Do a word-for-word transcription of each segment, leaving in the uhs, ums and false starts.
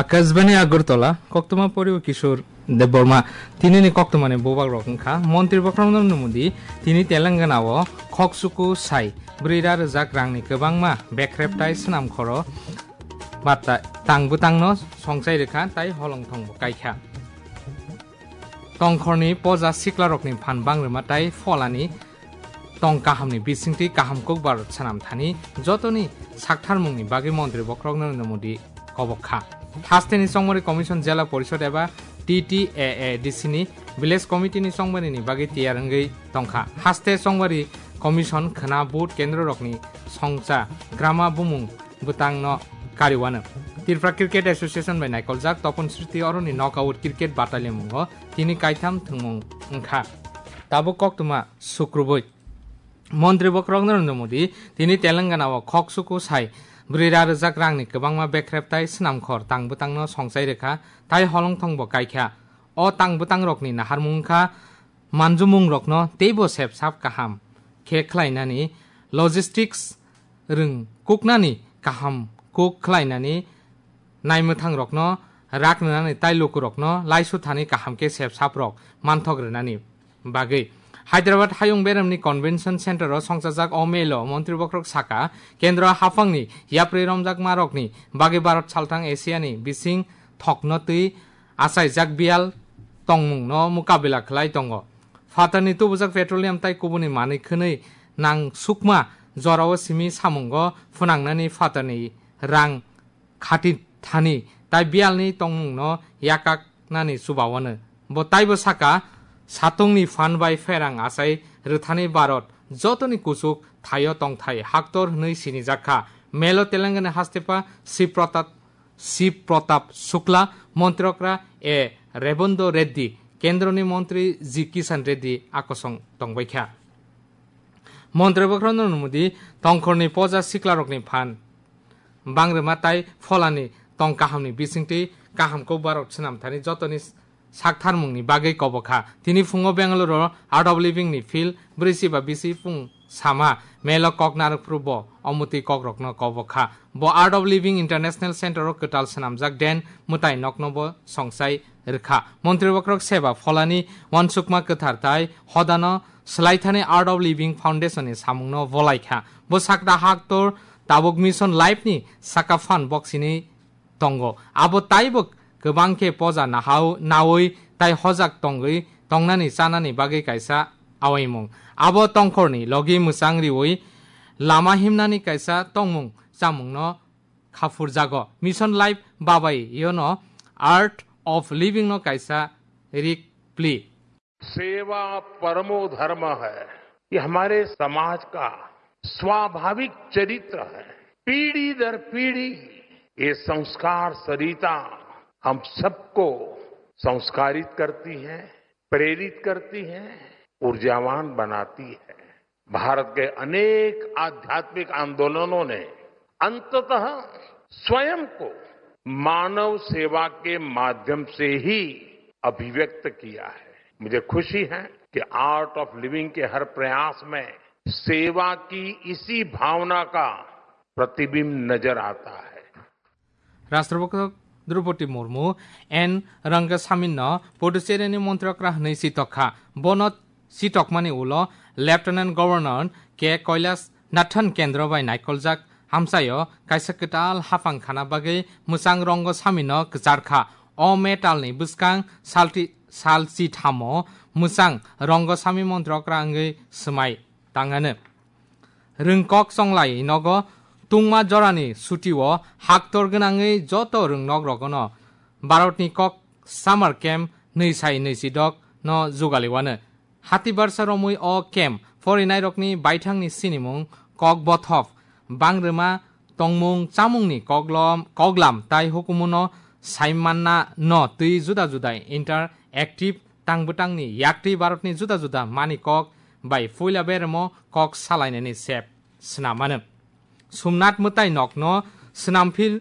Akashbani Agartala, koktwma poribo Kishore Debbarma. Tinini koktwmani bubak rok wngkha, Montri Bokhorok Narendra Modi tini Telangana o khoksuku sai brwi ra rwjak rangni kwbangma bekrep tai swnam khoro ba ta-, tang bwtangno songchai rwkha tai holongthongbo kaikha. Tongkhorni poja siklarokni phan bangrwma tai pholani tong kahamni bisingtwi kaham kokbar swnam thani jotoni saktharmungni bagwi Montri Bokhorok Narendra Modi kobok kha. Hasteni Chongmari Commission Jela Porishod eba T T A A D C ni Village Committee ni chongmarini bagwi tiyar wngwi tongkha. Haste Chongmari Commission khwna vote kendrorokni songcha grama bumung bwtangno kariwano. Tripura Cricket Association bai naikoljak Topon Sriti Aroni Knockout Cricket Bataliamungo tini kaitham thwngmung wngkha. Tabuk koktwma sukrubui. Montri Bokhorok Narendra Modi tini Telangana o khoksuku sai brwi ra rwjak rangni kwbangma bekrep tai swnamkhor tang bwtangno songchai rwkha tai holongthongbo kaikha. O tang bwtangrokni naharmung wngkha manjumungrokno teibo sepsap kaham khe khlainani, logistics rwng kuknani kaham kuk khlainani, naimwthangrokno rak rwnani tai lukurokno laisu thani kaham khe sepsaprok manthok rwnani bagwi. Hyderabad Hayung Beremni Convention Center o songchajak o melo Montri Bokhorok saka, Kendro haphangni yapri romjakmarokni bagwi Bharat salthang Asiani bising thokno twi achaijak biyal tongmungno mukabila khlai tongo. Phatarni tubujak petroleum tai kubuni manwi khwnwi nang sukma jorao simi samungo phwnangnani phatarni rang khati thani tai biyalni tongmungno yakaknani chubawano. Bo taibo saka, satungni phan bai pherang achai rwthani Bharat jotoni kuchuk thaio tongthai haktor hwnwi sinijak kha. Melo Telangana hastepa Shiv Pratap, Shiv Pratap Shukla, Montri Okra A Rebonda Reddy, Kendroni Montri G Kishan Reddy akosong tongbaikha. Montri Bokhorok Narendra Modi tongkhorni poja siklarokni phan bangrwma tai pholani tong kahamni bisingtwi kaham kokbarok swnam thani jotoni saktharmungni bagwi kobokha. Tini phungo Bengaluru Art of Living ni field brwi si ba bisi phung sama melo kok narwkphru bo omotwi kokrokno kobokha. Bo Art of Living International Center o kwtal swnamjak den mwtai nokno bo songchai rwkha. Montri Bokhorok seba pholani uansukma kwthar tai hodano swlaithani Art of Living Foundation ni samungno bolaikha. Bo sakta haktor tabuk Mission Life ni saka phan boksini tongo. Abo taibo kwbang khe poja nahao-, naui tai hojak tongwi tongnani chanani bagwi kaisa awaimung. Abo tongkhorni logi mwchang riui lama himnani kaisa tongmung chamungno khapurjago. Mission Life babai yono Art of Living no kaisa rik pli. सेवा परमो धर्म है। ये हमारे समाज का स्वाभाविक चरित्र है। पीढ़ी दर पीढ़ी ये संस्कार सरिता हम सबको संस्कारित करती है, प्रेरित करती है, ऊर्जावान बनाती है। भारत के अनेक आध्यात्मिक आंदोलनों ने अंततः स्वयं को मानव सेवा के माध्यम से ही अभिव्यक्त किया है। मुझे खुशी है कि आर्ट ऑफ लिविंग के हर प्रयास में सेवा की इसी भावना का प्रतिबिंब नजर आता है। Rashtrapati Droupadi Murmu N Rangasaminno Puducherry ni Montri Okra hwnwi sitok kha. Bono sitokmani ulo Lieutenant Governor K Kailash Nathan Kendro bai naikoljak hamsaio kaisa kwtal haphang khana bagwi mwchang Rangasamino kwchar kha. O metalni bwskang salti-, salchi thamo mwchang Rangasami Montri Okra wngwi swmai tangano. Rwngkok chonglai nogo tungma jorani sutio haktor gwnangwi joto rwngnok rogono Bharatni kok summer camp nwi sai nwi sidok no jugaliwano. Hati barsa romwi o camp porinairokni baithangni sinimung, kok bothop, bangrwma, tongmung chamungni koglom-, koglam tai hukumuno saimanna no twi juda juda interactive tang bwtangni yaktwi Bharatni juda juda mani kok bai puila beremo kok salainani sep swnam mano. Somnath mwtai nokno swnamphil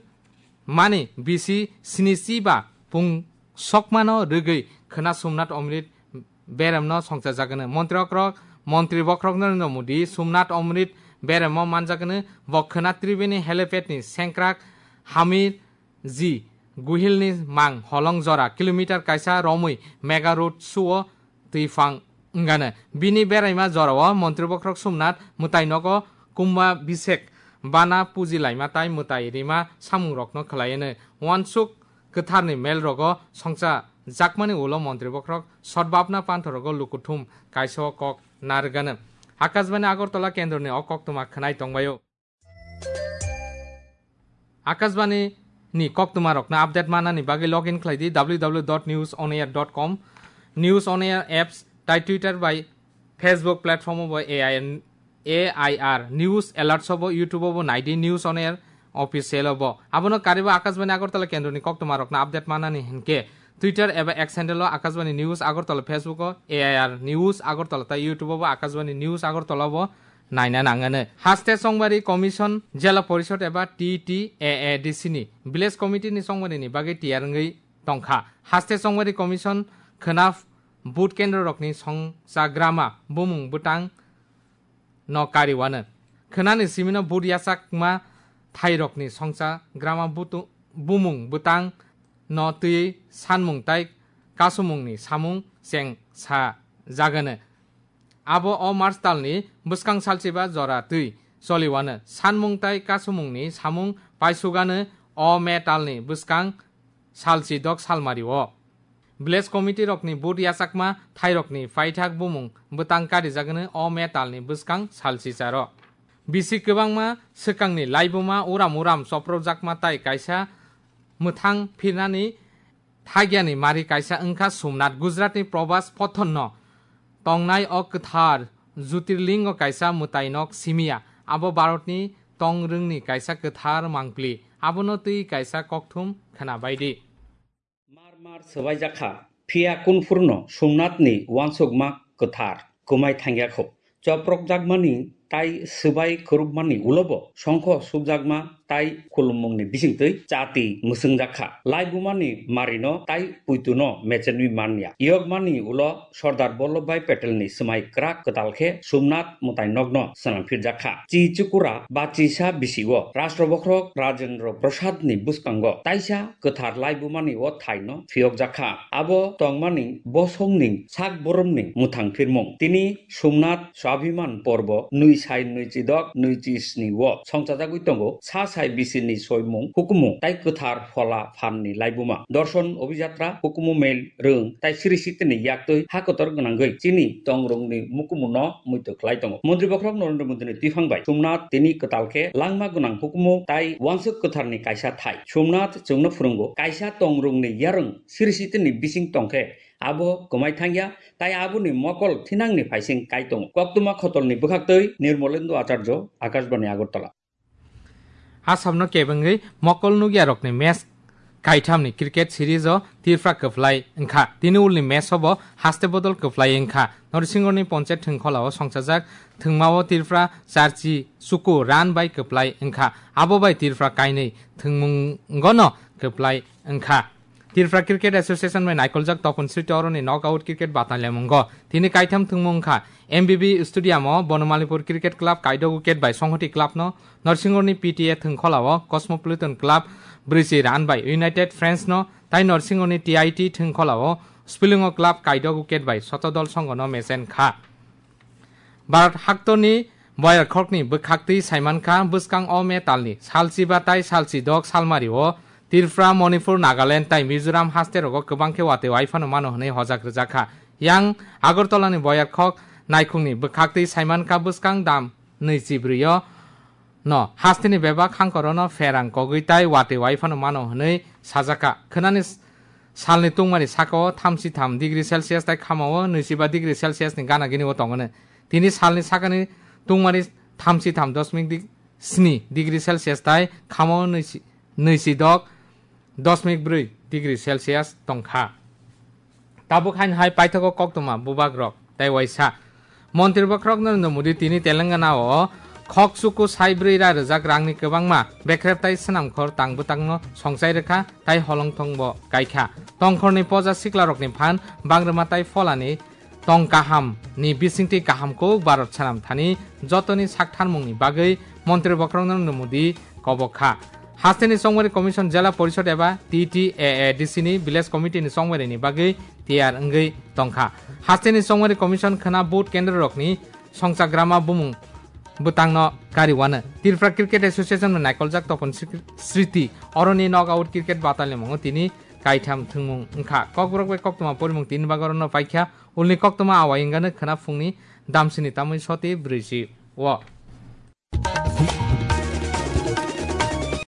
mani bisi sinichi ba pung sokmano rwgwi khwna Somnath Amrit beremno songchajagwno. Montri Bokhorok, Montri Bokhorok Narendra Modi Somnath Amrit beremo manjagwno. Bo khwna Tribeni helipad ni sengkrak Hamir ji Guhilni mang holong jora kilometer kaisa romwi mega road suo twi phang wngano. Bini beraima jorao montri bokhorok Somnath mwtai nogo Kumbhabhishek bana puji laima tai mwtai rima samungrokno khlaiano. Uansuk kwtharni melrogo songcha jakmani ulo montri bokhorok sotbapna panthorogo lukuthum kaisa o kok narwgano. Akashbani Agartala kendroni o koktwma khwnai tongbaio. Akashbani ni koktwma rokno update manani bagwi log in khlai di w w w dot news on air dot com, News on Air apps, tai Twitter bai Facebook platform bo A I N, A I R News Alerts bo, YouTube bo nai di News on Air Official bo. Abono karibo Akashbani Agartala kendroni koktwma rokno update manani hinkhe Twitter eba X handle o Akashbani News Agartala, Facebook o A I R News Agartala tai YouTube bo Akashbani News Agartala bo naina nangano. Haste Chongbari Commission, Jela Porishod eba T T A A D C ni Village Committee ni chongmani ni bagwi tiyar wngwi tongkha. Haste Chongbari Commission khwna vote kendro rokni songchagrama bumung bwtang no kariwano. Khwnani simino vote yachakma thairokni songchagrama butu-, bumung bwtang no twi sanmung tai kasumungni samung cheng sa jagano. Abo o March talni bwskang salchiba jora twi choliwano. Sanmung tai kasumungni samung paisugano o May talni bwskang salchi dok salmario. Village committee rokni vote yachakma thairokni paithak bumung bwtang karijagano o May talni bwskang salchi charo. Bisi kwbangma swkangni laibuma uram uram choprojakma tai kaisa mwthang phirnani thagyani mari kaisa wngkha Somnath. Gujaratni Prabhas Pathanno tongnai o kwthar Jyotirlingo kaisa mwtainok simiya. Abo Bharatni tongrwngni kaisa kwthar mangpli. Abono twi kaisa kokthum khwnabaidi. Mar mar swbaijak kha, phiya kunphurno Somnathni uansukma kwthar kwmai thangya kho. Choprokjakmani tai swbai khurupmani ulobo songkho sukjakma tai khulumungni bisingtwi chati mwswngjak kha. Laibumani marino tai puituno mechenwi manya. Yokmani ulo Sardar Vallabhbhai Patelni swmai kwrak kwtal khe Somnath mwtainokno swnam phirjak kha. Chi chukura ba chisa bisi-o Rashtra Bokhorok Rajendra Prasadni bwskango taisa kwthar laibumani o thaino phiyokjak kha. Abo tongmani bosongni sak boromni mwthang phirmung. Tini Somnath Swabhiman Porbo nwi sai nwi chidok nwi chi sni o songchajagwi tongo sa sai bisini soimung hukumu tai kwthar phola phanni laibuma. Dorson Obhijatra hukumu mel rwng tai siri sitini yaktwi ha kotor gwnangwi chini tongrwngni mukumuno muitu khlai tongo. Montri Bokhorok Narendra Modini twiphang bai Somnath tini kwtal khe langma gwnang hukumu tai uansuk kwtharni kaisa thai. Somnath chwngno phwrwngo, kaisa tongrwngni yarwng siri sitini bising tongkhe abo kwmai thangya, tai aboni mokol thinangni phaising kai tongo. Koktwma khotolni bwkhaktwi Nirmolendu Acharjo, Akashbani Agartala. Assamno kebengwi mokol nukyarokni match kaithamni cricket series o Tripura kwplai wngkha. Tini ulni match o bo haste bodol kwplai wngkha. Norsingorni Ponchayat thwngkhola o songchajak thwngma o Tripura charchi chuku run bai kwplai wngkha. Abo bai Tripura kainwi thwngmungono kwplai wngkha. Tripura Cricket Association bai naikoljak Topon Sriti Oroni knockout cricket batalyamungo tini kaitham thwngmung wngkha. M B B Stadium o Bonomalipur Cricket Club kaidok wicket bai Songhoti Club no, Norsingorni P T A thwngkhola o Cosmopolitan Club brwichi run bai United Friends no, tai Norsingorni T I T thwngkhola o Spilungo Club kaidok wicket bai Sotodol Songho no mechen kha. Bharat haktorni boyarkhokni bwkhaktwi saimankha bwskang o metalni salchiba tai salchidok salmario Tripura, Manipur, Nagaland tai Mizoram hasterogo kwbang khe watwi waiphano mano hwnwi hojak rwjakha. Yang Agartalani boyarkhok naikhungni bwkhaktwi saimankha bwskang dam nwichibrwio no hasteni bebak hangkorono pherang kogwi tai watwi waiphano mano hwnwi sajaka. Khwnani salni tungmani sakao thamchi tham degree Celsius tai khamao nwichiba degree Celsius ni gana gini o tongmani. Tini salni sakani tungmani thamchi tham dosmik sni degree Celsius tai khamao nwichi, nwichidok dosmik brwi degree Celsius tongkha. Tabuk haino hai paithago koktwma bubagrok tai waisa. Montri bokhorok Narendra Modi tini Telangana o khok chuku sai brwi ra rwjak rangni kwbangma bekrep tai swnamkhor tang bwtangno songchai rwkha tai holongthong bo kaikha. Tongkhorni poja siklarokni phan bangrwma tai pholani tong kaham ni bisingtwi kaham kuk Bharat swnam thani jotoni saktharmung ni bagwi Montri bokhorok Narendra Modi kobok kha. Hasteni Chongmari Commission Jela Porishod eba T T A A D C ni Village Committee ni chongmari ni bagwi tiyar wngwi tongkha. Hasteni Chongmari Commission khwna vote kendro rokni songchagrama bumung bwtangno kariwano. Tripura Cricket Association no naikoljak Topon Sri-, Sriti oroni knockout cricket batal ni mungo tini kaitham thwngmung wngkha. Kokborok bai koktwma porimung tini bagorono paikha. Ulni koktwma awai wngano khwna phungni damsini tamwi soti brwichi o.